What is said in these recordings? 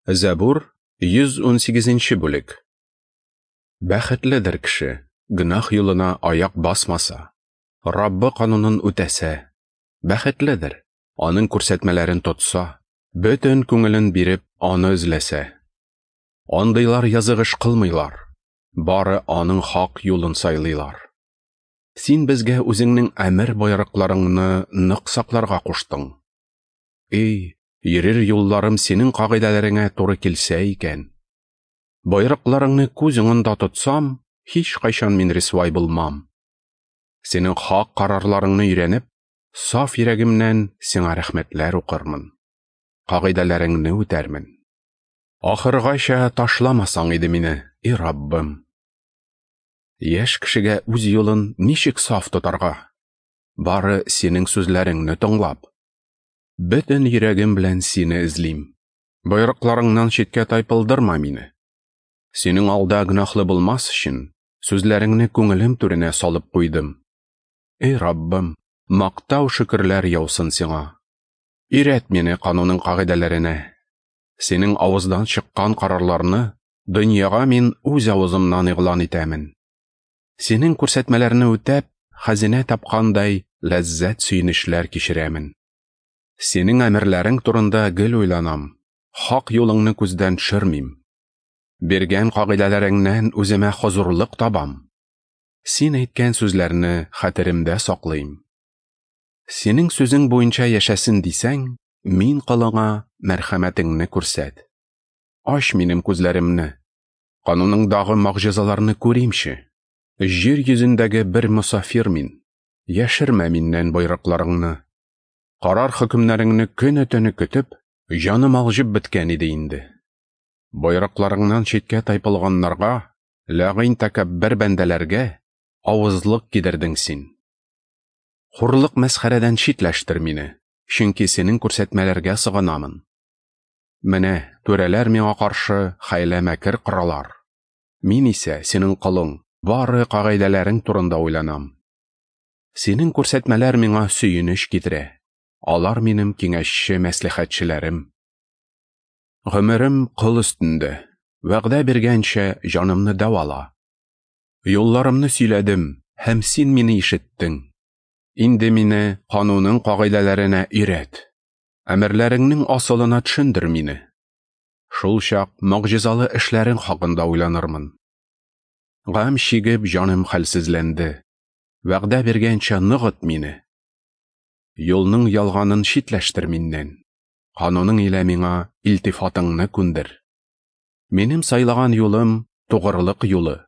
Зәбур, 118 нче бүлек. Бәхетледер кеше, гөнаһ юлына аяк басмаса, Раббы канунын үтәсә. Бәхетледер, аның күрсәтмәләрен тотса, бөтен күңелен биреп, аны эзләсә. Андыйлар язык эш кылмыйлар, бары аның хак юлын сайлыйлар. Син безгә үзеңнең әмер-боерыкларыңны нык сакларга куштың. Эй, йөрер юлларым синең кагыйдәләреңә туры килсә икән! Боерыкларыңны күз уңында тотсам, һичкайчан мин рисвай булмам. Синең хак карарларыңны өйрәнеп, саф йөрәгемнән сиңа рәхмәтләр укырмын. Кагыйдәләреңне үтәрмен. Ахыргача ташламасаң иде мине, и Раббым. Яшь кешегә үз юлын ничек саф тотарга? Бары синең сүзләреңне тыңлап. Бөтен йөрәгем белән сине эзлим. Боерыкларыңнан читкә тайпылдырма мине. Синең алда гөнаһлы булмас өчен, сүзләреңне күңелем түренә салып куйдым. Эй Раббым, мактау шөкерләр яусын сиңа. Өйрәт мине кануның кагыйдәләренә. Синең авыздан чыккан карарларны дөньяга мин үз авызымнан игълан итәмен. Синең күрсәтмәләрне үтәп, хәзинә тапкандай ләззәт сөенечләр кичерәмен. Синең әмерләрең турында гел уйланам, хак юлыңны күздән төшермим. Биргән кагыйдәләреңнән үземә хозурлык табам. Син әйткән сүзләрне хәтеремдә саклыйм. Синең сүзең буенча яшәсен дисәң, мин колыңа мәрхәмәтеңне күрсәт. Ач минем күзләремне, кануныңдагы могҗизаларны күримче. Җир йөзендәге бер мосафир мин, яшермә миннән боерыкларыңны. Карар хөкемнәреңне көне-төне көтеп, җаным алҗып беткән иде инде. Боерыкларыңнан читкә тайпылганнарга, ләгыйнь тәкәббер бәндәләргә авызлык кидердең син. Хурлык мәсхәрәдән читләштер мине, чөнки синең күрсәтмәләргә сыгынамын. Менә түрәләр миңа каршы хәйлә-мәкер коралар. Мин исә, синең колың, бары кагыйдәләрең турында уйланам. Синең күрсәтмәләр миңа сөенеч китерә. Алар минем киңәшче-мәслихәтчеләрем. Гомерем кыл өстендә. Вәгъдә биргәнчә, җанымны дәвала. Юлларымны сөйләдем, һәм син мине ишеттең. Инде мине кануның кагыйдәләренә өйрәт. Әмерләреңнең асылына төшендер мине. Шул чак могҗизалы эшләрең хакында уйланырмын. Гамь чигеп, җаным хәлсезләнде. Вәгъдә биргәнчә ныгыт мине. Юлның ялганын читләштер миннән. Кануның илә миңа илтифатыңны күндер. Минем сайлаган юлым тугрылык юлы.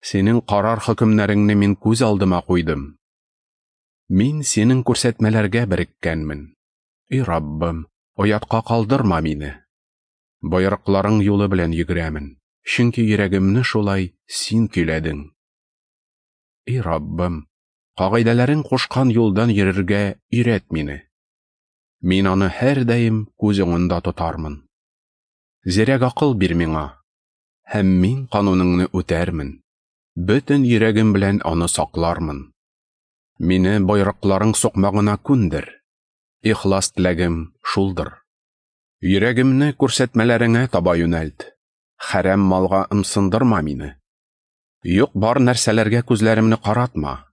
Синең карар хөкемнәреңне мин күз алдыма куйдым. Мин синең күрсәтмәләргә береккәнмен. И Раббым, оятка калдырма мине. Боерыкларың юлы белән йөгерәмен, чөнки йөрәгемне шулай син көйләдең. И Раббым, кагыйдәләрең кушкан юлдан йөрергә өйрәт мине. Мин аны һәрдаим күз уңында тотармын. Зирәк акыл бир миңа, һәм мин кануныңны үтәрмен. Бөтен йөрәгем белән аны саклармын. Мине боерыкларың сукмагына күндер. Ихлас теләгем шулдыр. Йөрәгемне күрсәтмәләреңә таба юнәлт. Хәрәм малга ымсындырма мине. Юк бар нәрсәләргә күзләремне каратма.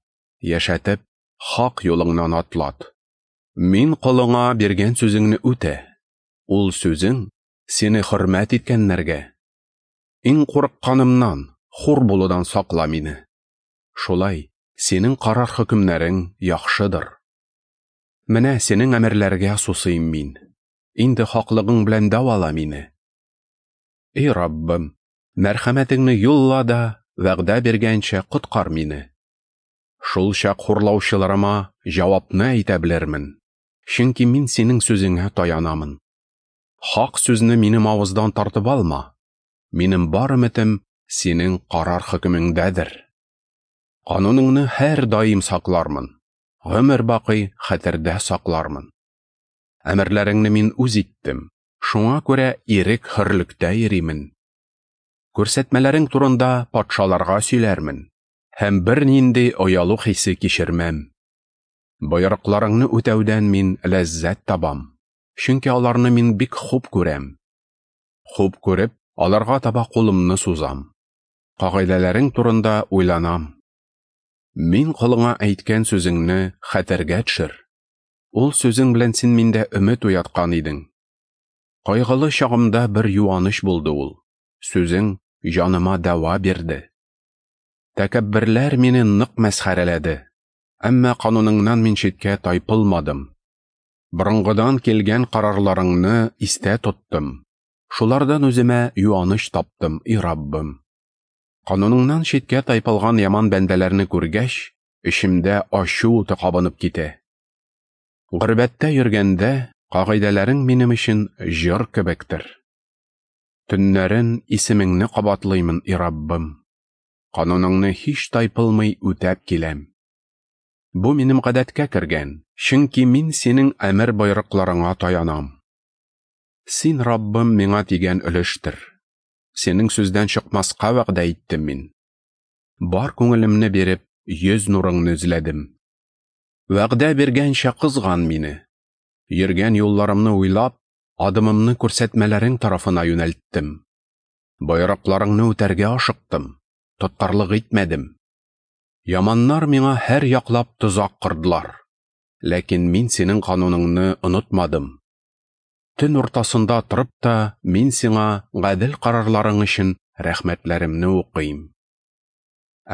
Яшәтеп, хак юлыңнан атлат. Мин колыңа биргән сүзеңне үтә. Ул сүзең сине хөрмәт иткәннәргә. Иң курыкканымнан, хур булудан сакла мине. Шулай, синең карар хөкемнәрең яхшыдыр. Менә синең әмерләргә сусыйм мин. Инде хаклыгың белән дәвала мине. Эй Раббым, мәрхәмәтеңне юлла да, вәгъдә биргәнчә коткар мине. Шул чак хурлаучыларыма җавапны әйтә белермен, чөнки мин синең сүзеңә таянамын. Хак сүзне минем авыздан тартып алма. Минем бар өметем синең карар хөкемеңдәдер. Кануныңны һәр даим саклармын, гомер бакый хәтердә саклармын. Әмерләреңне мин үз иттем, шуңа күрә ирек хөрлектә йөримен. Күрсәтмәләрең турында патшаларга сөйләрмен, һәм бернинди оялу хисе кичермәм. Боерыкларыңны үтәүдән мин ләззәт табам, чөнки аларны мин бик хуп күрәм. Хуп күреп, аларга таба кулымны сузам. Кагыйдәләрең турында уйланам. Мин колыңа әйткән сүзеңне хәтергә төшер. Ул сүзең белән син миндә өмет уяткан идең. Кайгылы чагымда бер юаныч булды ул. Сүзең җаныма дәва бирде. Тәкәбберләр мине нык мәсхәрәләде. Әмма кануныңнан мин читкә тайпылмадым. Борынгыдан килгән карарларыңны истә тоттым. Шулардан үземә юаныч таптым, и Раббым. Кануныңнан читкә тайпылган яман бәндәләрне күргәч, эчемдә ачу уты кабынып китә. Горбәттә йөргәндә, кагыйдәләрең минем өчен җыр кебектер. Төннәрен исемеңне кабатлыймын, и Раббым. Кануныңны һич тайпылмый үтәп киләм. Бу минем гадәткә кергән, чөнки мин синең әмер-боерыкларыңа таянам. Син, Раббым, миңа тигән өлештер. Синең сүздән чыкмаска вәгъдә иттем мин. Бар күңелемне биреп, йөз нурыңны эзләдем. Вәгъдә биргәнчә кызган мине. Йөргән юлларымны уйлап, адымымны күрсәтмәләрең тарафына юнәлттем. Боерыкларыңны үтәргә ашыктым, тоткарлык итмәдем. Яманнар миңа һәр яклап тозак кордылар. Ләкин мин синең кануныңны онытмадым. Төн уртасында торып та мин сиңа гадел карарларың өчен рәхмәтләремне укыйм.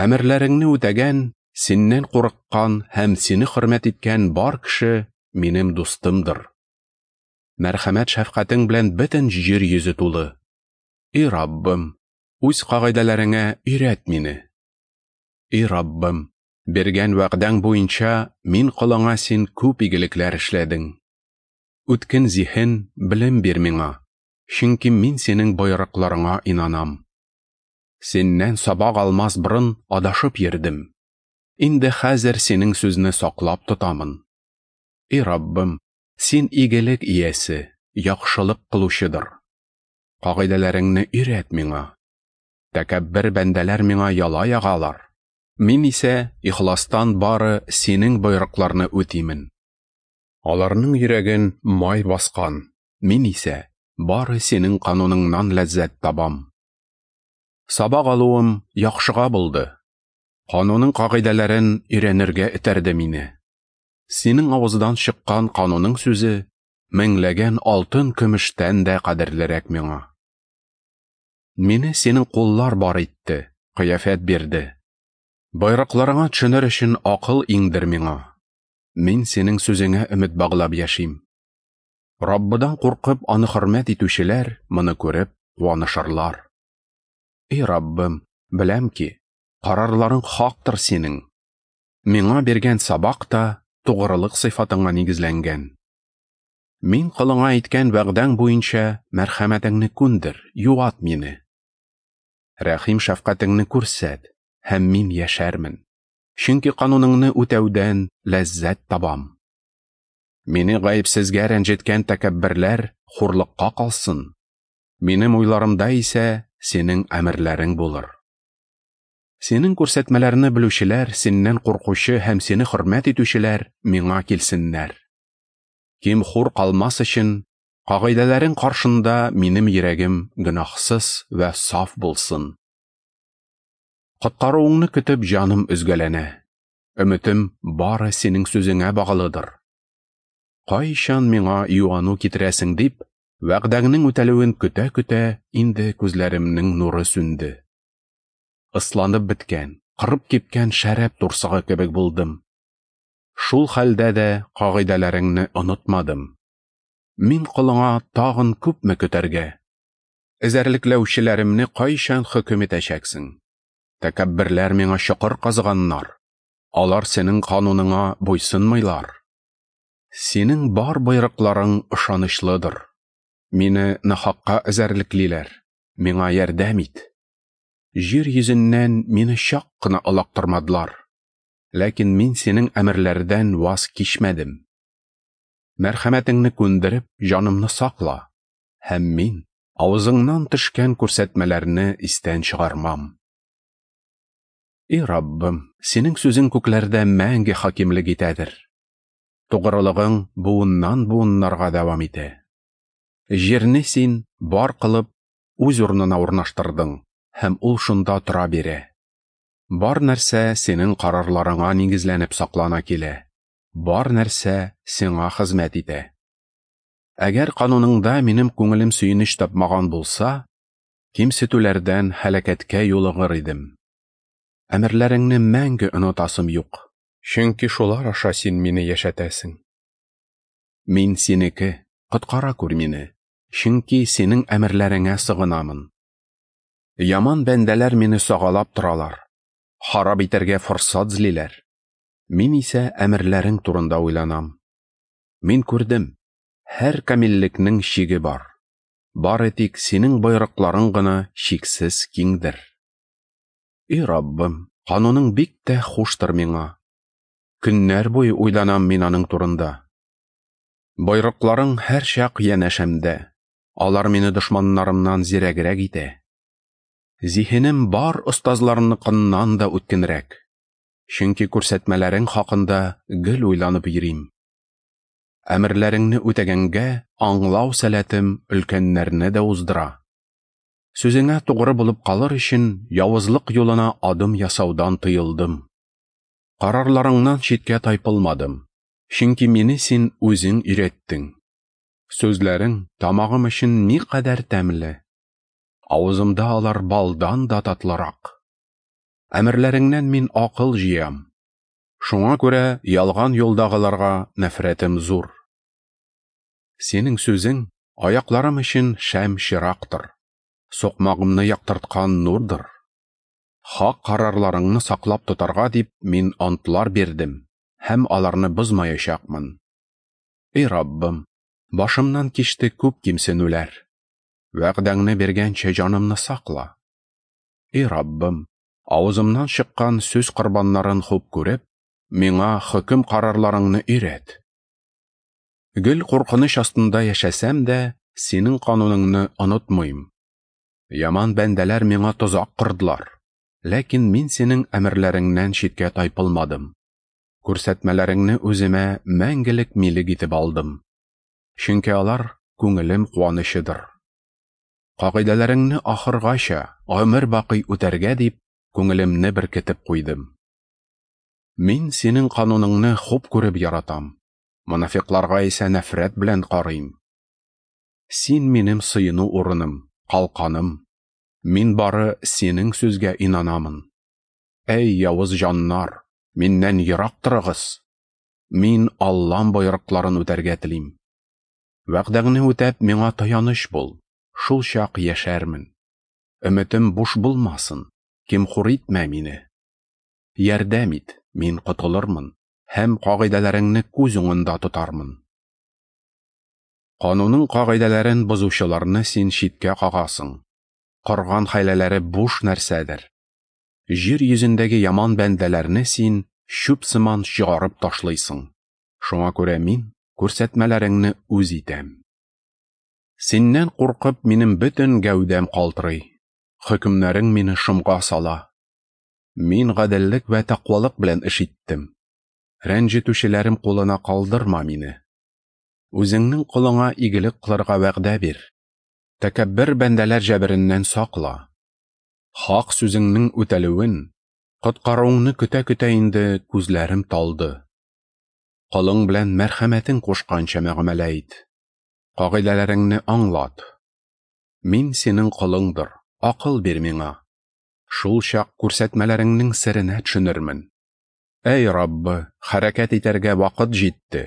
Әмерләреңне үтәгән, синнән курыккан һәм сине хөрмәт иткән бар кеше минем дустымдыр. Мәрхәмәт шәфкатең белән бөтен җир йөзе тулы. И Раббым, үз кагыйдәләреңә өйрәт мине. И Раббым, биргән вәгъдәң буенча мин колыңа син күп игелекләр эшләдең. Үткен зиһен, белем бир миңа, чөнки мин синең боерыкларыңа инанам. Синнән сабак алмас борын адашып йөрдем. Инде хәзер синең сүзне саклап тотамын. И Раббым, син игелек иясе, яхшылык кылучыдыр. Кагыйдәләреңне өйрәт миңа. Тәкәббер бәндәләр миңа яла ягалар. Мин исә ихластан бары синең боерыкларны үтимен. Аларның йөрәген май баскан, мин исә бары синең кануныңнан ләззәт табам. Сабак алуым яхшыга булды. Кануның кагыйдәләрен өйрәнергә этәрде мине. Синең авыздан чыккан кануның сүзе меңләгән алтын көмештән дә кадерлерәк миңа. Мине синең куллар бар итте, кыяфәт бирде. Боерыкларыңа төшенер өчен акыл иңдер миңа. Мин синең сүзеңә өмет баглап яшим. Раббыдан куркып аны хөрмәт итүчеләр моны күреп куанышырлар. И Раббым, беләм ки, карарларың хактыр синең. Миңа биргән сабак та тугрылык сыйфатыңа нигезләнгән. Мин колыңа әйткән вәгъдәң буенча мәрхәмәтеңне күндер, юат мине. Рәхим шәфкатеңне күрсәт, һәм мин яшәрмен. Чөнки кануныңны үтәүдән ләззәт табам. Мине гаепсезгә рәнҗеткән тәкәбберләр хурлыкка калсын. Минем уйларымда исә синең әмерләрең булыр. Синең күрсәтмәләрне белүчеләр, синнән куркучы һәм сине хөрмәт итүчеләр миңа килсеннәр. Ким хур калмас өчен, кагыйдәләрең каршында минем йөрәгем гөнаһсыз вә саф булсын. Коткаруыңны көтеп җаным өзгәләнә. Өметем бары синең сүзеңә баглыдыр. Кайчан миңа юану китерәсең дип, вәгъдәңнең үтәлүен көтә-көтә инде күзләремнең нуры сүнде. Ысланып беткән, кырып кипкән шәраб турсыгы кебек булдым. Шул хәлдә дә кагыйдәләреңне онытмадым. Мин колыңа тагын күпме көтәргә? Эзәрлекләүчеләремне кайчан хөкем итәчәксең? Тәкәбберләр миңа чокыр казыганнар. Алар синең кануныңа буйсынмыйлар. Синең бар боерыкларың ышанычлыдыр. Мине нахакка эзәрлеклиләр. Миңа ярдәм ит. Җир йөзеннән мине чак кына олактырмадылар. Ләкин мин синең әмерләрдән ваз кичмәдем. Мәрхәмәтеңне күндереп, җанымны сакла. Һәм мин авызыңнан төшкән күрсәтмәләрне истән чыгармам. И Раббым, синең сүзең күкләрдә мәңге хакимлек итәдер. Тугрылыгың буыннан буыннарга дәвам итә. Җирне син бар кылып, үз урынына урнаштырдың, һәм ул шунда тора бирә. Бар нәрсә синең карарларыңа нигезләнеп саклана килә, бар нәрсә сиңа хезмәт итә. Әгәр кануныңда минем күңелем сөенеч тапмаган булса, кимсетүләрдән һәлакәткә юлыгыр идем. Әмерләреңне мәңге онытасым юк, чөнки шулар аша син мине яшәтәсең. Мин синеке, коткара күр мине, чөнки синең әмерләреңә сыгынамын. Яман бәндәләр мине сагалап торалар, харап итәргә форсат эзлиләр. Мин исә әмерләрең турында уйланам. Мин күрдем, һәр камиллекнең чиге бар. Бары тик синең боерыкларың гына чиксез киңдер. И Раббым, кануның бик тә хуштыр миңа. Көннәр буе уйланам мин аның турында. Боерыкларың һәрчак янәшәмдә. Алар мине дошманнарымнан зирәгрәк итә. Зиһенем бар остазларныкыннан да үткенрәк. Чөнки күрсәтмәләрең хакында гел уйланып йөрим. Әмерләреңне үтәгәнгә аңлау сәләтем өлкәннәрне дә уздыра. Сүзеңә тугры булып калыр өчен явызлык юлына адым ясаудан тыелдым. Карарларыңнан читкә тайпылмадым, чөнки мине син үзең өйрәттең. Сүзләрең тамагым өчен никадәр тәмле. Авызымда алар балдан да татлырак. Әмерләреңнән мин акыл җыям. Шуңа күрә ялган юлдагыларга нәфрәтем зур. Синең сүзең аякларым өчен шәм чырактыр, сукмагымны яктырткан нурдыр. Хак карарларыңны саклап тотарга дип мин антлар бирдем һәм аларны бозмаячакмын. Эй Раббым, башымнан кичте күп кимсенүләр. Вәгъдәңне биргәнчә җанымны сакла. Эй Раббым, авызымнан чыккан сүз корбаннарын хуп күреп, миңа хөкем карарларыңны өйрәт. Гел куркыныч астында яшәсәм дә, синең кануныңны онытмыйм. Яман бәндәләр миңа тозак кордылар, ләкин мин синең әмерләреңнән читкә тайпылмадым. Күрсәтмәләреңне үземә мәңгелек милек итеп алдым. Чөнки алар күңелем куанычыдыр. Кагыйдәләреңне ахыргача, гомер бакый үтәргә дип, күңелемне беркетеп куйдым. Мин синең кануныңны хуп күреп яратам. Монафикларга исә нәфрәт белән карыйм. Син минем сыену урыным, калканым. Мин бары синең сүзгә инанамын. Әй, явыз җаннар, миннән ерак торыгыз. Мин Аллам боерыкларын үтәргә телим. Вәгъдәңне үтәп, миңа таяныч бул, шул чак яшәрмен. Өметем буш булмасын, ким-хур итмә мине. Ярдәм ит, мин котылырмын һәм кагыйдәләреңне күз уңында тотармын. Кануның кагыйдәләрен бозучыларны син читкә кагасың. Корган хәйләләре буш нәрсәдер. Җир йөзендәге яман бәндәләрне син чүп сыман чыгарып ташлыйсың. Шуңа күрә мин күрсәтмәләреңне үз итәм. Синнән куркып минем бөтен гәүдәм калтырый. Хөкемнәрең мине шомга сала. Мин гаделлек вә тәкъвалык белән эш иттем. Рәнҗетүчеләрем кулына калдырма мине. Үзеңнең колыңа игелек кылырга вәгъдә бир. Тәкәббер бәндәләр җәбереннән сакла. Хак сүзеңнең үтәлүен, коткаруыңны көтә-көтә инде күзләрем талды. Колың белән мәрхәмәтең кушканча мөгамәлә ит. Кагыйдәләреңне аңлат. Мин синең колыңдыр, акыл бир миңа. Шул чак күрсәтмәләреңнең серенә төшенермен. Әй Раббы, хәрәкәт итәргә вакыт җитте.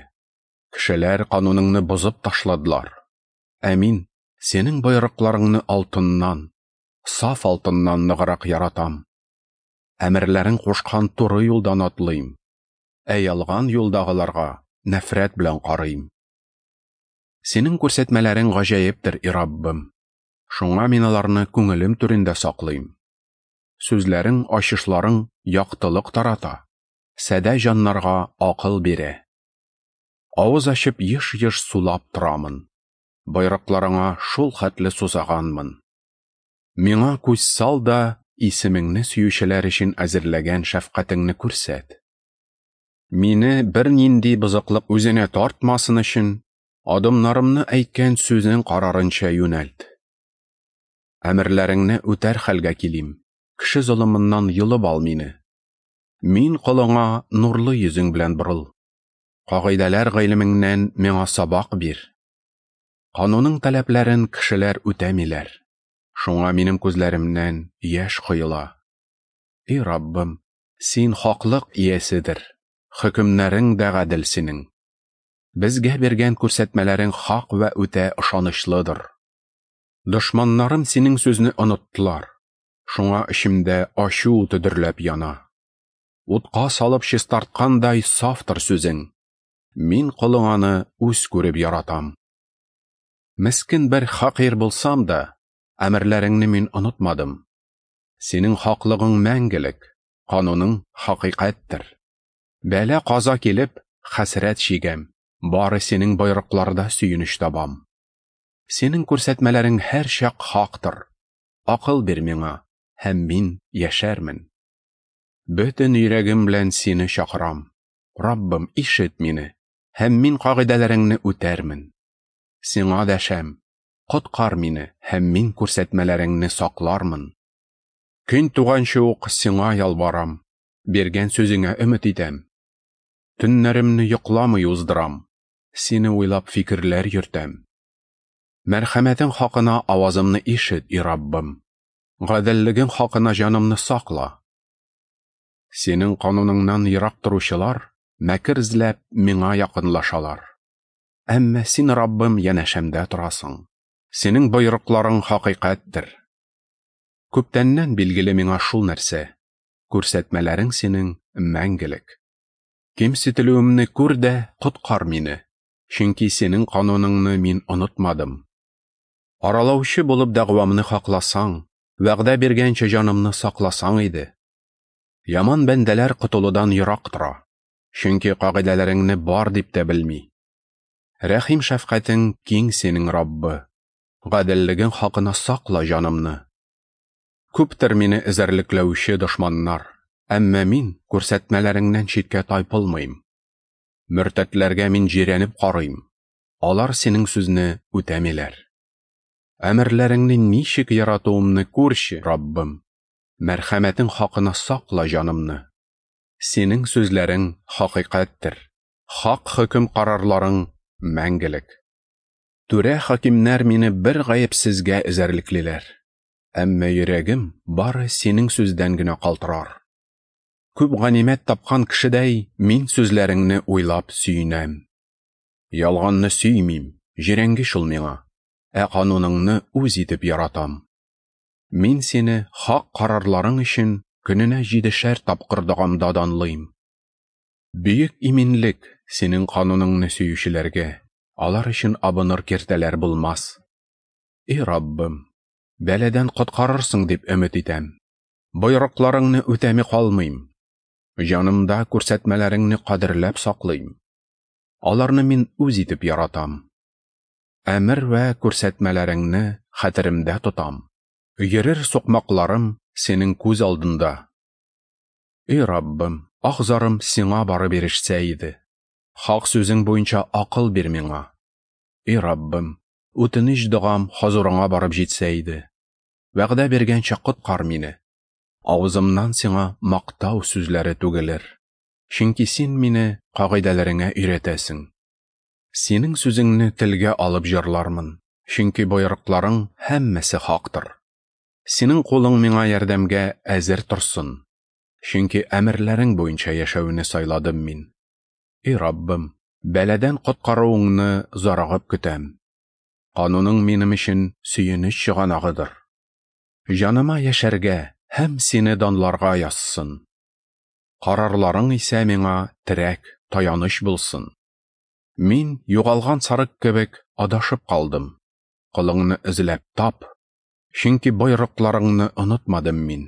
Кешеләр кануныңны бозып ташладылар. Ә мин синең боерыкларыңны алтыннан, саф алтыннан ныграк яратам. Әмерләрең кушкан туры юлдан атлыйм. Ә ялган юлдагыларга нәфрәт белән карыйм. Синең күрсәтмәләрең гаҗәептер, и Раббым. Шуңа мин аларны күңелем түрендә саклыйм. Сүзләрең, ачышларың яктылык тарата, садә җаннарга акыл бирә. Авыз ачып еш-еш сулап торамын. Боерыкларыңа шул хәтле сусаганмын. Миңа күз сал да, исемеңне сөючеләр өчен әзерләгән шәфкатеңне күрсәт. Мине бернинди бозыклык үзенә тартмасын өчен, адымнарымны әйткән сүзең карарынча юнәлт. Әмерләреңне үтәр хәлгә килим, кеше золымыннан йолып ал мине. Мин колыңа нурлы йөзең белән борыл. Кагыйдәләр гыйлемеңнән миңа сабак бир. Кануның таләпләрен кешеләр үтәмиләр. Шуңа минем күзләремнән яшь коела. И Раббым, син хаклык ияседер, хөкемнәрең дә гадел синең. Безгә биргән күрсәтмәләрең хак вә үтә ышанычлыдыр. Дошманнарым синең сүзне оныттылар. Шуңа эчемдә ачу уты дөрләп яна. Утка салып чистарткандай сафтыр сүзең. Мин колың аны үз күреп яратам. Мескен бер хакир булсам да, әмерләреңне мин онытмадым. Синең хаклыгың мәңгелек, кануның хакыйкатьтер. Бәла каза килеп, хәсрәт чигәм, бары синең боерыкларда сөенеч табам. Синең күрсәтмәләрең һәрчак хактыр. Акыл бир миңа, һәм мин яшәрмен. Бөтен йөрәгем белән сине чакырам. Раббым, ишет мине, һәм мин кагыйдәләреңне үтәрмен. Сиңа дәшәм, коткар мине, һәм мин күрсәтмәләреңне саклармын. Көн туганчы ук сиңа ялварам, биргән сүзеңә өмет итәм. Төннәремне йокламый уздырам, сине уйлап фикерләр йөртәм. Мәрхәмәтең хакына авазымны ишет, и Раббым. Гаделлегең хакына җанымны сакла. Синең кануныңнан ерак торучылар, мәкер эзләп, миңа якынлашалар. Әмма син, Раббым, янәшәмдә торасың. Синең боерыкларың хакыйкатьтер. Күптәннән билгеле миңа шул нәрсә. Күрсәтмәләрең синең мәңгелек. Кимсетелүемне күр дә коткар мине, чөнки синең кануныңны мин онытмадым. Аралаучы булып дәгъвамны хакласаң, вәгъдә биргәнчә җанымны сакласаң иде. Яман бәндәләр котылудан ерак тора, чөнки кагыйдәләреңне бар дип тә белми. Рәхим шәфкатең киң синең, Раббы. Гаделлегең хакына сакла җанымны. Күптер мине эзәрлекләүче дошманнар, әмма мин күрсәтмәләреңнән читкә тайпылмыйм. Мөртәтләргә мин җирәнеп карыйм, алар синең сүзне үтәмиләр. Әмерләреңне ничек яратуымны күрче, Раббым. Мәрхәмәтең хакына сакла җанымны. Синең сүзләрең хакыйкатьтер, хак хөкем карарларың мәңгелек. Түрә хакимнәр мине бер гаепсезгә эзәрлеклиләр. Әмма йөрәгем бары синең сүздән генә калтырар. Күп ганимәт тапкан кешедәй мин сүзләреңне уйлап сөенәм. Ялганны сөймим, җирәнгеч ул миңа, ә кануныңны үз итеп яратам. Мин сине хак карарларың өчен көненә 7 тапкыр догамда данлыйм. Бөек иминлек синең кануныңны сөючеләргә, алар өчен абыныр киртәләр булмас. И Раббым, бәләдән коткарырсың дип өмет итәм. Боерыкларыңны үтәми калмыйм. Җанымда күрсәтмәләреңне кадерләп саклыйм. Аларны мин үз итеп яратам. Әмер вә күрсәтмәләреңне хәтеремдә тотам. Йөрер сукмакларым синең күз алдында. И Раббым, ах-зарым сиңа барып ирешсә иде. Хак сүзең буенча акыл бир миңа. И Раббым, үтенеч догам хозурыңа барып җитсә иде. Вәгъдә биргәнчә коткар мине. Авызымнан сиңа мактау сүзләре түгелер. Чөнки син мине кагыйдәләреңә өйрәтәсең. Синең сүзеңне телгә алып җырлармын, чөнки боерыкларың һәммәсе хактыр. Синең кулың миңа ярдәмгә әзер торсын, чөнки әмерләрең буенча яшәүне сайладым мин. И Раббым, бәләдән коткаруыңны зарыгып көтәм. Кануның минем өчен сөенеч чыганагыдыр. Җаныма яшәргә һәм сине данларга язсын. Карарларың исә миңа терәк, таяныч булсын. Мин югалган сарык кебек адашып калдым. Колыңны эзләп тап, чөнки боерыкларыңны онытмадым мин.